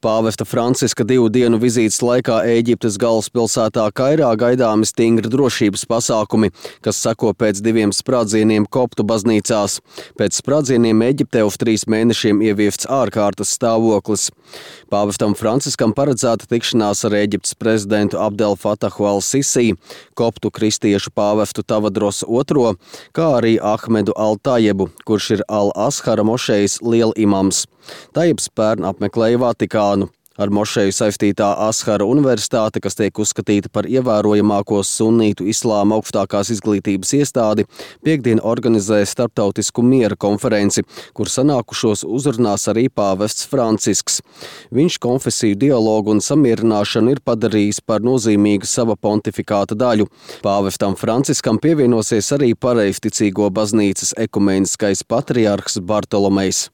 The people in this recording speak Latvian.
Pāvesta Franciska 2 dienu vizītes laikā Ēģiptes galvaspilsētā Kairā gaidāmi stingri drošības pasākumi, kas seko pēc 2 sprādzieniem koptu baznīcās. Pēc sprādzieniem Ēģiptē uz 3 mēnešiem ieviests ārkārtas stāvoklis. Pāvestam Franciskam paredzēta tikšanās ar Ēģiptes prezidentu Abdel Fatahu al-Sisi, koptu kristiešu pāvestu Tavadros II, kā arī Ahmedu al-Tajebu, kurš ir Al-Ashara mošejas lielimams. Tajebs pērn apmeklēja Vatikānu. Ar mošeju saistītā Ashara universitāte, kas tiek uzskatīta par ievērojamāko sunnītu islāma augstākās izglītības iestādi, piektdien organizē starptautisku miera konferenci, kur sanākušos uzrunās arī pāvests Francisks. Viņš konfesiju dialogu un samierināšanu ir padarījis par nozīmīgu sava pontifikāta daļu. Pāvestam Franciskam pievienosies arī pareizticīgo baznīcas ekumeniskais patriarhs Bartolomejs.